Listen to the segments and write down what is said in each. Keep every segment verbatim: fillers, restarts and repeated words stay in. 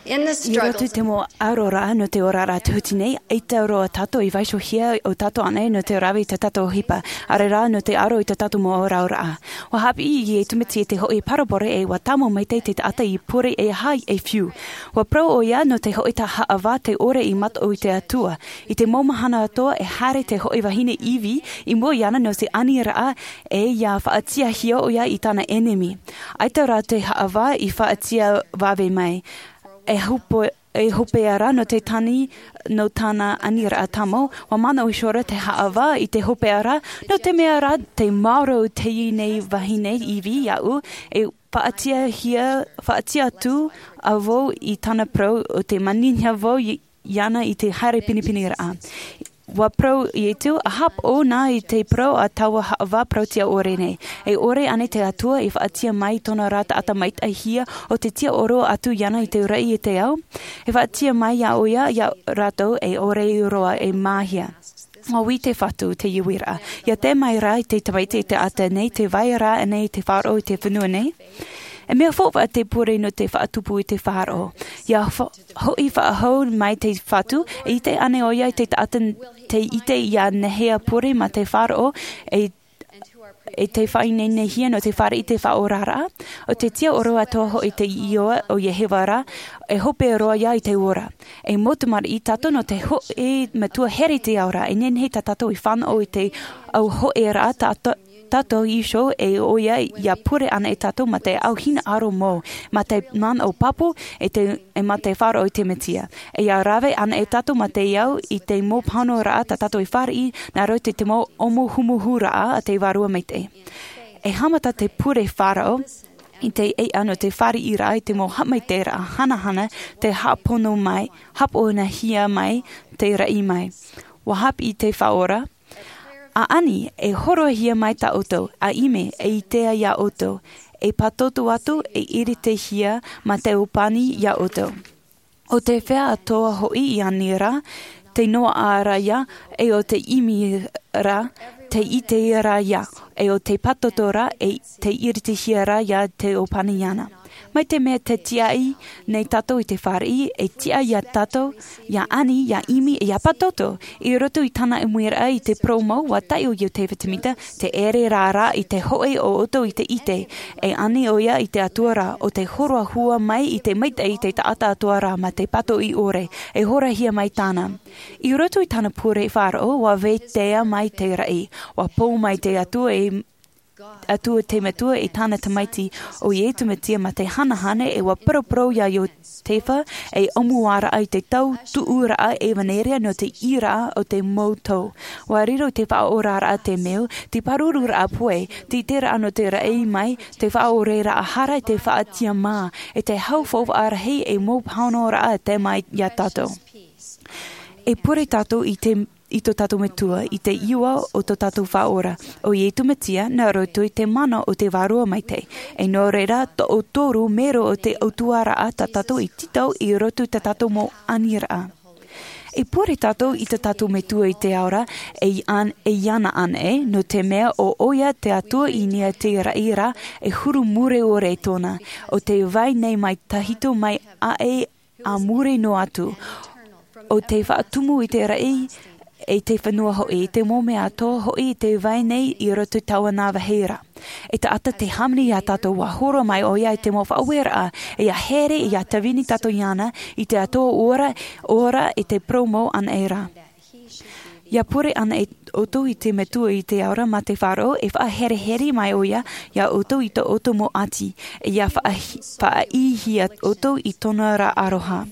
I roto i te mau ʻaroraʻa nō te oraraʻa tūhiti nei, ʻaita roa tātou i vaiihohia ʻo tātou ānei nō te rave i tā tātou ʻohipa, ʻaore rā nō te ʻaro i tā tātou mau ʻaroraʻa. Ua hāpiʻi iesu mesia i te hoʻi parabole ʻe ua tāmau maitaʻi te taʻata i pure e aha e fiu. Ua parau ʻoia nō te hoʻi haʻavā te ʻore i mataʻu i te atua. I te mau mahana atoʻa e haere te hoʻi vahine ivi i mua iāna nō te aniraʻa, ʻe ia faʻatiʻahia ʻoia i tāna ʻenemi. ʻAita rā te haʻavā i faʻatiʻa vave mai. E hope e hopeʻa rā nō te tani nō tāna aniraʻa tāmau. Ua manaʻo iho rā te haʻavā i te hopeʻa rā, nō te mea rā te maoro o teie nei vahine ivi iāʻu, e faʻatiʻahia faʻatiʻa atu vau i tāna parau o te manihia vau iāna i te haere pinepine raʻa. Ua parau iesu, ʻa hāpaʻo nā i te parau a taua haʻavā parauʻtiʻa ʻore nei. E ʻore ānei te atua i faʻatiʻa mai i tōna rā taʻata maitaʻihia o te tiʻaoro atu iāna i te ora i te ao? E faʻatiʻa mai iā ʻoia iā rātou e ʻore roa e māhia. Ua ui te fatu te iuiraʻa ia tae mai rā i te tamaiti i te ata nei te vai rā ānei i te faʻaroʻo i te fenua nei? E mea faufaʻa te pure nō te faʻatupu i te faʻaroʻo. Ia hoʻi faʻahou mai te fatu e ʻite ānei ʻoia i te taʻata te ʻite ia nehea pure ma te faʻaroʻo e e te faʻaineinehia nō te fāriʻi i te faʻaoraraʻa. O te tiʻaoro atoʻa hoʻi te iʻoa o iehova rā e hope roa ia i te ora. E mau tamariʻi tātou nō te hoʻi metua here i te ao ra e nehenehe tā tātou i fānaʻo i te au hoʻi rā tātou iho e ʻoia ia pure ana e tātou ma te au hinaʻaro mau ma te manaʻo pāpū e te e ma te faʻaroʻo i te mesia. E ia rave ana e tātou ma te au i te mau pāhono rā tā tātou i fāriʻi nā roto i te mau ʻōmuhumuhu rā a te vārua maitaʻi. E haʻamata te pure faʻaroʻo i te ʻeʻa nō te fāriʻi rā i te mau haʻamaitaʻi rā hanahana te haʻapono mai haʻaponohia mai te raʻi mai. Ua hāpiʻi te faʻaora. ʻA ani e horohia mai tā ʻoutou ʻa ʻimi e ʻitea iā ʻoutou e pātoto atu e iritehia ma te ʻōpani iā ʻoutou. O te fea atoʻa hoʻi i ani ra te noaʻa ra ia e o te ʻimi ra te ʻite ra ia e o te pātoto ra e te iritehia ra ia te ʻōpani iāna. Mai te mea te tiaʻi nei tātou i te fāriʻi e tiʻa iā tātou ia ani ia ʻimi ia pātoto. I roto i tāna ʻimiraʻa i te purōmu ua taʻi ʻo iosepha semita te ʻere rā rā i te hoʻi o ʻoutou i te ʻite e ani ʻoia i te atua rā o te horoʻa hua mai i te maitaʻi i te taʻata atua rā ma te pātoʻi ʻore e horahia mai tāna. I roto i tāna pure faʻaroʻo ua vaitea mai te raʻi ua pō mai te atua e atua te metua i tāna tamaiti o iesu mesia ma te hanahana e ua paraparau iā iosepha e ʻōmuaraʻa i te tau tuʻuraʻa ʻevaneria nō te ʻīraʻa o te mau tau. Ua riro te faʻaoraraʻa te mea te pāruru raʻa pue te ʻite raʻa nō te raʻi mai te faʻaoreraʻa hara i te faʻatiʻa mā e te hau faufaʻa rahi e mau pāhonoraʻa te mai iā tātou. E pure tātou i te i tō tātou metua i te iʻoa o tō tātou faʻaora o iesu mesia nā roto i te mana o te vārua maitaʻi. E nō reira toʻotoru mero o te ʻautuaraʻa tā tātou i tītau i roto i tā tātou mau aniraʻa. E pure tātou i tō tātou metua i te ao ra e iāna anaʻe nō te mea o ʻoia te atua i niʻa i te raʻi ra e huru mure ʻore tōna o te vai nei mai tahito mai aʻe a muri noa atu o te faʻatumu i te raʻi e te fenua hoʻi i te mau mea atoʻa hoʻi i te vai nei i roto i taua nā vāhi ra. E taʻata te hāmani iā tātou ua horo mai ʻoia i te mau faʻaueraʻa ia here ia tāvini tātou iāna i te atua ora ora i te purōmu anaʻe ra. Ia pure ana ʻoutou i te metua i te ao ra ma te faʻaroʻo e faʻaherehere mai ʻoia iā ʻoutou i tō ʻoutou mau ʻati e ia faʻaʻīhia ʻoutou i tōna ra aroha.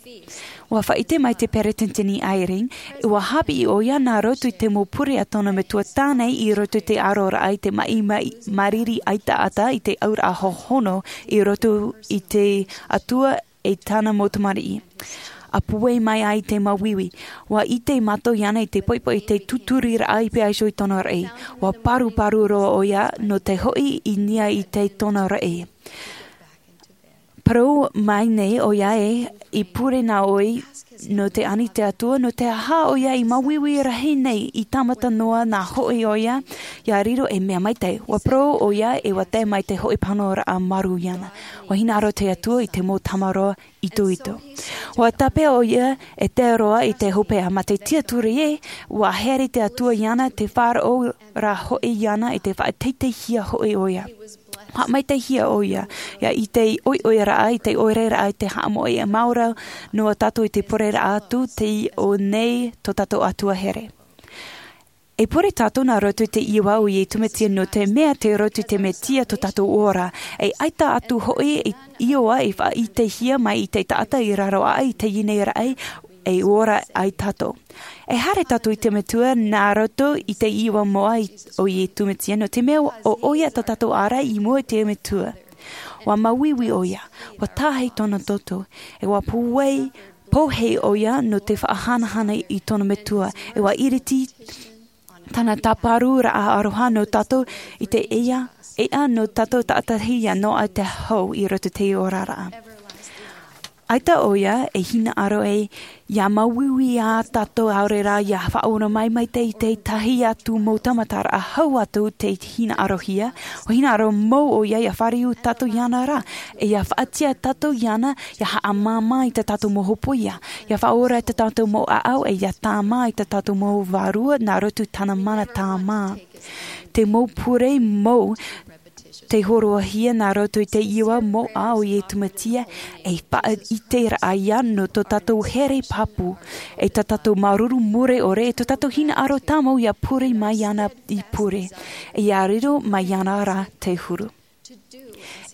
Ua faʻaʻite mai te peresideni eyring ua hāpiʻi ʻoia nā roto i te mau pure a tōna metua tāne i roto i te aroraʻa i te maʻi mariri ʻaitaʻata i te auraʻa hohono i roto i te atua e tāna mau tamariʻi. A puai mai ai te māuiui ua ʻite mātou iāna i te poipoi i te tūtūriraʻa i pea iho i tōna raʻi. Ua paruparu roa ʻoia nō te hoʻi i niʻa i te tōna raʻi. Parau mai nei ʻoia ē, i pure nā ʻoe nō te ani te Atua, nō te aha ʻoia i māuiui rahi nei i tāmata noa nā hoʻi ʻoia, ia riro ei mea maitaʻi. Ua parau ʻoia e ua tae mai te hoʻi pāhonoraʻa māuiui ana. Ua hinaʻaro te Atua i te mau tamaroa itoito. Ua tāpeʻa ʻoia e tae roa i te hopeʻa, mā te tiaturi ē, ua haere te Atua iāna, te faʻaroʻo rā hoʻi iāna, i te faʻateiteihia hoʻi ʻoia. Haʻamaitaihia ʻoia, ia i te ʻoiʻoiraʻa, i te ʻoiʻoiraʻa, i te haʻamoʻe, e maoro noa tātou i te pureraʻa atu, tei ʻō nei tō tātou Atua here. E pure tātou nā roto i te iʻoa o Iesu Mesia, nō te mea tei roto i te Mesia tō tātou ora. E ʻaita atu hoʻi e iʻoa e faʻaʻitehia mai i te taʻata i raro aʻe i teie nei raʻi, e ora ai tātou. E haere tātou i te Metua nā roto i te iʻoa moʻa i, o Iesu Mesia, nō te mea ʻo ʻoia tā tātou ārai i mua i te Metua. Ua māuiui ʻoia, ua tahi tōna toto, e ua pūai, pōhē ʻoia nō te faʻahanahana i tōna Metua, e ua iriti tāna tāparuraʻa aroha nō tātou i te ea, ea nō tātou tātaʻitahi ia noaʻa te hau i roto i te oraraʻa. ʻAita ʻoia e hinaʻaro ē, ia māuiui ā tātou ʻaore rā ia faʻaora mai, mai te, i te tahi atu mau tāmataraʻa hau atu te hinaʻarohia, ua hinaʻaro mau ʻoia ia fāriu tātou iāna rā, e ia faʻatiʻa tātou iāna, ia haʻamāmā i tā tātou mau hōpoiʻa, ia faʻaora i tā tātou mau ʻāʻau, e ia tāmā i tā tātou mau vārua, nā roto i tāna mana tāmā. Te mau pure mau, tei hōroʻahia nā roto i te iʻoa moʻa o Iesu Mesia, e faʻaʻiteraʻa ia nō tō tātou here pāpū, e tā tātou māuruuru mure ʻore, e tō tātou hinaʻaro tāmau ia pure mai iāna i pure, e ia riro mai iāna rā te huru.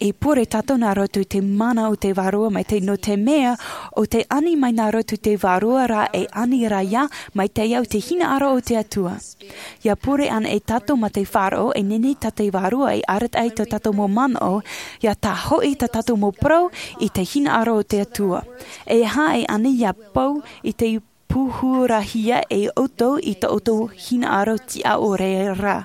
E pure tātou nā roto i te mana o te Vārua Maitaʻi, nō te mea, ʻo te ani mai nā roto i te Vārua rā e ani ra ia, mai te au te hinaʻaro o te Atua. Ia pure ana e tātou mā te faʻaroʻo, e nehenehe tā te Vārua e arataʻi i tā tātou mau manaʻo, ia tae hoʻi tā tātou mau parau i te hinaʻaro o te Atua. E aha e ani ia pau i te pūhurahia e ʻoutou i tō ʻoutou hinaʻaro tiʻa ʻore rā.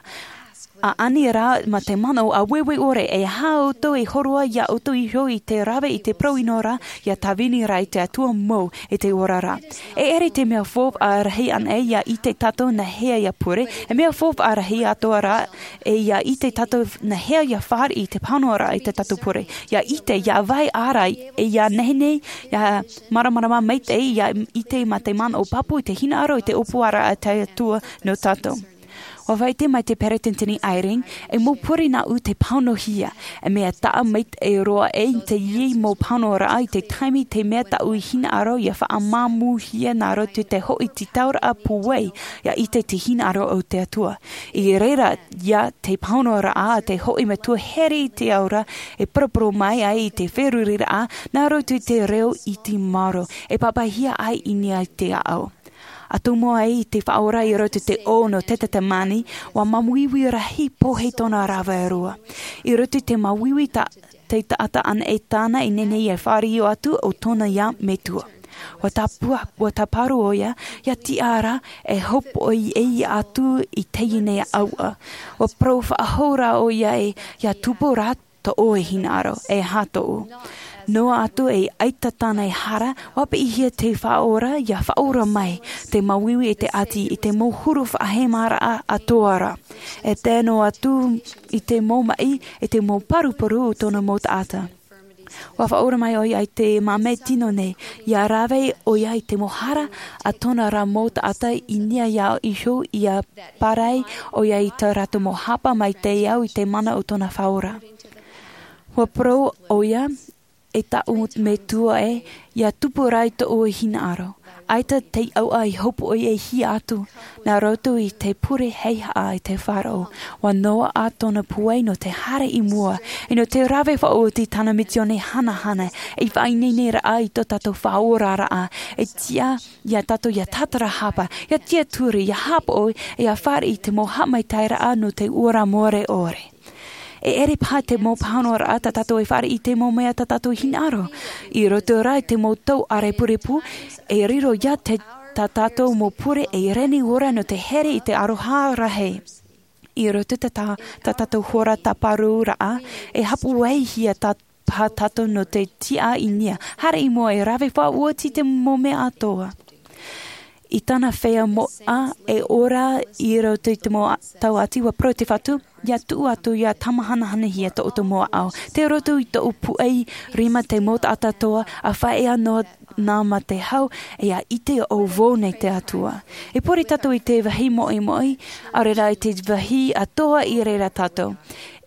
A ani rā mā te manaʻo āueue ʻore, e aha ʻoutou e hōroʻa ia ʻoutou iho i te rave i te parau ʻino ra, ia tāvini rā i te Atua mau i te ora ra. E ʻere te mea faufaʻa rahi ana ia ʻite tātou nā hea ia pure, e mea faufaʻa rahi atoʻa rā, e ia ʻite tātou nā hea ia fāriʻi i te pāhonoraʻa i tā tātou pure. Ia ʻite, ia vai ʻārai, e ia nehenehe, ia māramarama maitaʻi, ia ʻite mā te manaʻo pāpū i te hinaʻaro i te ʻōpuaraʻa a te Atua nō tātou. Ua faʻaʻite mai te Peretiteni Eyring, e mau pure nāʻu tei pāhonohia, e mea taʻa maitaʻi roa ē i teie mau pāhonoraʻa i te taime te mea tāʻu hinaʻaro ia faʻamāmūhia nā roto i te hoʻi tītauraʻa pūai, ia ʻite te hinaʻaro o te Atua. I reira ia te pāhonoraʻa a te hoʻi Metua here i te ao ra, e poroporo mai ai i te feruriraʻa, nā roto i te reo iti maoro, e pāpaʻihia ai i niʻa i te ʻāʻau. ʻA tumu ai i te Faʻaora i roto i te ʻō nō Tetetemani, ua māuiui rahi pōhē tōna rave roa. I roto i te māuiui tā, te taʻata ana e tāna i nehenehe e fāriu atu ʻo tōna ia Metua. Ua tāpua, ua tāparu ʻoia, ia tiʻa ra, e hopoiʻa atu i teie nei ʻauʻa. Ua parau faʻahou ra ʻoia ē, ia tupu ra tō ʻoe hinaʻaro, e aha tōʻu. Noa atu e ʻaita tāna e hara, ua piʻihia te Faʻaora, ia faʻaora mai, te māuiui e te ʻati, i te mau huru faʻahemaraʻa atoʻa ra. E tae noa atu i te mau maʻi, i te mau paruparu o tōna mau taʻata. Ua faʻaora mai ʻoia i te māmē tino nei, ia rave ʻoia i te mau hara a tōna ra mau taʻata i niʻa iho, ia pārahi ʻoia i tā rātou mau hapa mai te ao i te mana o tōna Faʻaora. Ua parau ʻoia, e tāʻu Metua ē, ia tupu ra i tōʻu hinaʻaro. ʻAita te ʻauʻa i hopoiʻahia atu, nā roto i te pure heihaʻa i te faʻaroʻo. Ua noaʻa tōna pūai nō te haere i mua, e nō te rave faʻaoti tāna misiōni hanahana, e faʻaineineraʻa i tō tātou faʻaoraraʻa, e tiʻa ia tātou ia tātarahapa, ia tiaturi, ia haʻapaʻo, e ia fāriʻi i te mau haʻamaitaʻiraʻa nō te ora more ʻore. E ʻere paha te mau pāhonoraʻa tā tātou e fāriʻi i te mau mea tā tātou hinaʻaro. I roto rā i te mau tau ʻārepurepu, e riro ia te, tā tātou mau pure e reni ora nō te here i te aroha rahi. I roto tā, tā, tā tātou hora tāparuraʻa, e hapuaihia tā, paha tātou nō te tiʻa i niʻa. Haere i mua e rave faʻaoti te mau mea atoʻa. I tāna feiā moʻa e ora i roto i te mau tau ʻati, ua parau te Fatu, ia tuʻu atu ia tāmāhanahanahia tō ʻoutou mau ʻaʻau. Tei roto i tōʻu puʻei rima te mau taʻata atoʻa, a faʻaea noa nā mā te hau, e ia ʻite ʻo vau nei te Atua. E pure tātou i te vāhi moʻimoʻi, ʻaore rā i te vāhi atoʻa i reira tātou.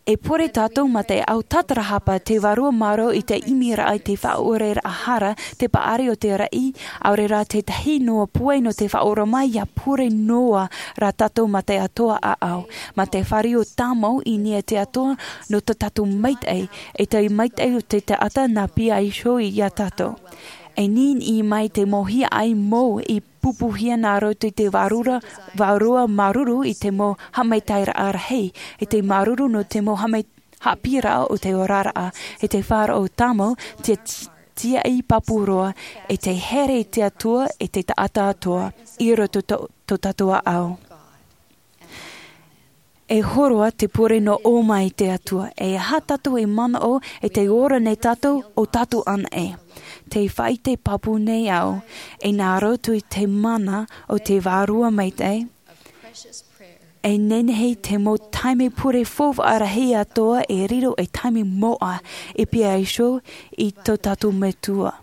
E pure tātou mā te ʻau tātarahapa, te vārua mārō i te ʻimiraʻa, i te faʻaʻoreraʻa hara, te paʻari o te raʻi, ʻaore rā tētahi noa puai nō te faʻaora mai, ia pure noa rā tātou mā te atoʻa ʻaʻau, mā te fāriu tāmau i niʻa i te Atua, nō tō tātou maitaʻi, e te maitaʻi o te taʻata nā pīhaʻi iho ia tātou. E nīnī mai te mau hiaʻai mau i pupuhia nā roto i te vārua, vārua māuruuru i te mau haʻamaitaʻiraʻa rahi, i te māuruuru nō te mau haʻamai-, haʻapiʻiraʻa o te oraraʻa, i te faʻaroʻo tāmau, te ti-, tiaʻi pāpū roa, i te here i te Atua, i te taʻata atoʻa, i roto tō, tō tātou ʻaʻau. E hōroʻa te pure nō ʻō mai te Atua, e aha tātou e manaʻo, e te ora nei tātou, ʻo tātou anaʻe. Tē faʻaʻite pāpū nei au, e nā roto i te mana o te Vārua Maitaʻi, e nehenehe te mau taime pure faufaʻa rahi atoʻa e riro ei taime moʻa, e pīhaʻi iho i tō tātou Metua.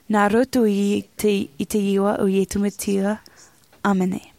Nā roto i te, i te iʻoa o Iesu Mesia, ʻāmene.